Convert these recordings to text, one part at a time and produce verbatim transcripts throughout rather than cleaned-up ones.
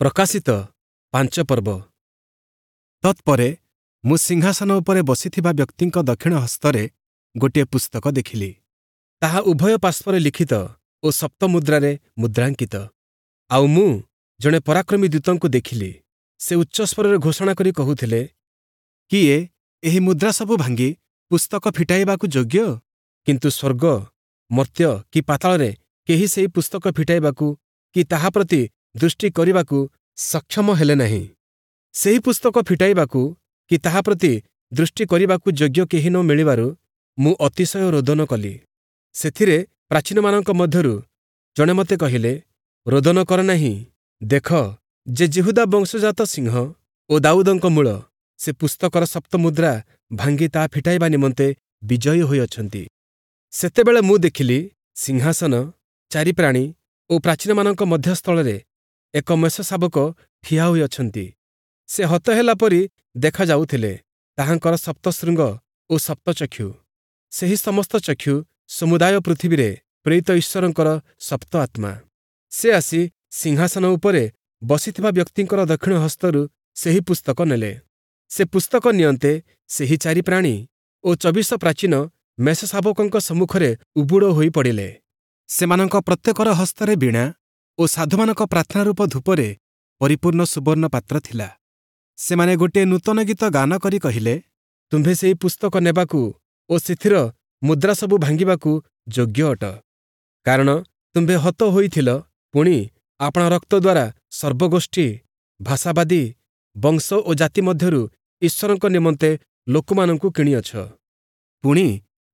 ପ୍ରକାଶିତ ପାଞ୍ଚ ପର୍ବ। ତତ୍ପରେ ମୁଁ ସିଂହାସନ ଉପରେ ବସିଥିବା ବ୍ୟକ୍ତିଙ୍କ ଦକ୍ଷିଣ ହସ୍ତରେ ଗୋଟିଏ ପୁସ୍ତକ ଦେଖିଲି। ତାହା ଉଭୟ ପାର୍ଶ୍ୱରେ ଲିଖିତ ଓ ସପ୍ତମୁଦ୍ରାରେ ମୁଦ୍ରାଙ୍କିତ। ଆଉ ମୁଁ ଜଣେ ପରାକ୍ରମୀ ଦୂତଙ୍କୁ ଦେଖିଲି। ସେ ଉଚ୍ଚସ୍ୱରରେ ଘୋଷଣା କରି କହୁଥିଲେ, କିଏ ଏହି ମୁଦ୍ରାସବୁ ଭାଙ୍ଗି ପୁସ୍ତକ ଫିଟାଇବାକୁ ଯୋଗ୍ୟ? କିନ୍ତୁ ସ୍ୱର୍ଗ, ମର୍ତ୍ତ୍ୟ କି ପାତାଳରେ କେହି ସେହି ପୁସ୍ତକ ଫିଟାଇବାକୁ କି ତାହା ପ୍ରତି ଦୃଷ୍ଟି କରିବାକୁ ସକ୍ଷମ ହେଲେ ନାହିଁ। ସେହି ପୁସ୍ତକ ଫିଟାଇବାକୁ କି ତାହା ପ୍ରତି ଦୃଷ୍ଟି କରିବାକୁ ଯୋଗ୍ୟ କେହି ନ ମିଳିବାରୁ ମୁଁ ଅତିଶୟ ରୋଦନ କଲି। ସେଥିରେ ପ୍ରାଚୀନମାନଙ୍କ ମଧ୍ୟରୁ ଜଣେ ମୋତେ କହିଲେ, ରୋଦନ କର ନାହିଁ। ଦେଖ, ଯେ ଯିହୁଦା ବଂଶଜାତ ସିଂହ ଓ ଦାଉଦଙ୍କ ମୂଳ, ସେ ପୁସ୍ତକର ସପ୍ତମୁଦ୍ରା ଭାଙ୍ଗି ତାହା ଫିଟାଇବା ନିମନ୍ତେ ବିଜୟୀ ହୋଇଅଛନ୍ତି। ସେତେବେଳେ ମୁଁ ଦେଖିଲି, ସିଂହାସନ, ଚାରି ପ୍ରାଣୀ ଓ ପ୍ରାଚୀନମାନଙ୍କ ମଧ୍ୟସ୍ଥଳରେ ଏକ ମେଷଶାବକ ଠିଆ ହୋଇଅଛନ୍ତି। ସେ ହତ ହେଲା ପରି ଦେଖାଯାଉଥିଲେ। ତାହାଙ୍କର ସପ୍ତଶୃଙ୍ଗ ଓ ସପ୍ତଚକ୍ଷୁ। ସେହି ସମସ୍ତ ଚକ୍ଷୁ ସମୁଦାୟ ପୃଥିବୀରେ ପ୍ରେରିତ ଈଶ୍ୱରଙ୍କର ସପ୍ତ ଆତ୍ମା। ସେ ଆସି ସିଂହାସନ ଉପରେ ବସିଥିବା ବ୍ୟକ୍ତିଙ୍କର ଦକ୍ଷିଣ ହସ୍ତରୁ ସେହି ପୁସ୍ତକ ନେଲେ। ସେ ପୁସ୍ତକ ନିଅନ୍ତେ ସେହି ଚାରି ପ୍ରାଣୀ ଓ ଚବିଶ ପ୍ରାଚୀନ ମେଷଶାବକଙ୍କ ସମ୍ମୁଖରେ ଉବୁଡ଼ ହୋଇ ପଡ଼ିଲେ। ସେମାନଙ୍କ ପ୍ରତ୍ୟେକର ହସ୍ତରେ ବୀଣା ଓ ସାଧୁମାନଙ୍କ ପ୍ରାର୍ଥନା ରୂପ ଧୂପରେ ପରିପୂର୍ଣ୍ଣ ସୁବର୍ଣ୍ଣ ପାତ୍ର ଥିଲା। ସେମାନେ ଗୋଟିଏ ନୂତନ ଗୀତ ଗାନ କରି କହିଲେ, ତୁମ୍ଭେ ସେହି ପୁସ୍ତକ ନେବାକୁ ଓ ସେଥିର ମୁଦ୍ରାସବୁ ଭାଙ୍ଗିବାକୁ ଯୋଗ୍ୟ ଅଟ। କାରଣ ତୁମ୍ଭେ ହତ ହୋଇଥିଲ, ପୁଣି ଆପଣା ରକ୍ତ ଦ୍ୱାରା ସର୍ବଗୋଷ୍ଠୀ, ଭାଷାବାଦୀ, ବଂଶ ଓ ଜାତି ମଧ୍ୟରୁ ଈଶ୍ୱରଙ୍କ ନିମନ୍ତେ ଲୋକମାନଙ୍କୁ କିଣିଅଛ। ପୁଣି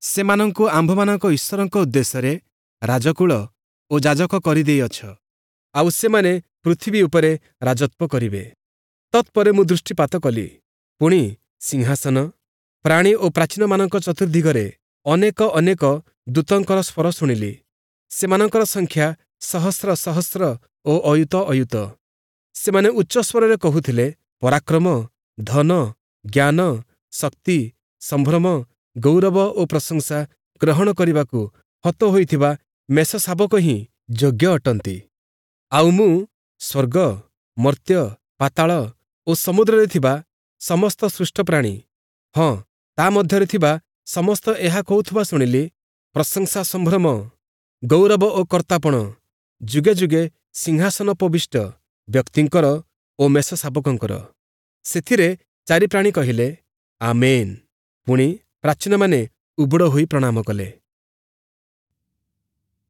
ସେମାନଙ୍କୁ ଆମ୍ଭମାନଙ୍କ ଈଶ୍ୱରଙ୍କ ଉଦ୍ଦେଶ୍ୟରେ ରାଜକୁଳ ଓ ଯାଜକ କରିଦେଇଅଛ, ଆଉ ସେମାନେ ପୃଥିବୀ ଉପରେ ରାଜତ୍ୱ କରିବେ। ତତ୍ପରେ ମୁଁ ଦୃଷ୍ଟିପାତ କଲି, ପୁଣି ସିଂହାସନ, ପ୍ରାଣୀ ଓ ପ୍ରାଚୀନମାନଙ୍କ ଚତୁର୍ଦ୍ଦିଗରେ ଅନେକ ଅନେକ ଦୂତଙ୍କର ସ୍ୱର ଶୁଣିଲି। ସେମାନଙ୍କର ସଂଖ୍ୟା ସହସ୍ର ସହସ୍ର ଓ ଅୟୁତ ଅୟୁତ। ସେମାନେ ଉଚ୍ଚସ୍ୱରରେ କହୁଥିଲେ, ପରାକ୍ରମ, ଧନ, ଜ୍ଞାନ, ଶକ୍ତି, ସମ୍ଭ୍ରମ, ଗୌରବ ଓ ପ୍ରଶଂସା ଗ୍ରହଣ କରିବାକୁ ହତ ହୋଇଥିବା ମେଷଶାବକ ହିଁ ଯୋଗ୍ୟ ଅଟନ୍ତି। ଆଉ ମୁଁ ସ୍ୱର୍ଗ, ମର୍ତ୍ତ୍ୟ, ପାତାଳ ଓ ସମୁଦ୍ରରେ ଥିବା ସମସ୍ତ ସୃଷ୍ଟ ପ୍ରାଣୀ, ହଁ, ତା ମଧ୍ୟରେ ଥିବା ସମସ୍ତ ଏହା କହୁଥିବା ଶୁଣିଲି, ପ୍ରଶଂସା, ସମ୍ଭ୍ରମ, ଗୌରବ ଓ କର୍ତ୍ତାପଣ ଯୁଗେ ଯୁଗେ ସିଂହାସନୋପବିଷ୍ଟ ବ୍ୟକ୍ତିଙ୍କର ଓ ମେଷଶାବକଙ୍କର। ସେଥିରେ ଚାରି ପ୍ରାଣୀ କହିଲେ, ଆମେନ୍। ପୁଣି ପ୍ରାଚୀନମାନେ ଉବୁଡ଼ ହୋଇ ପ୍ରଣାମ କଲେ।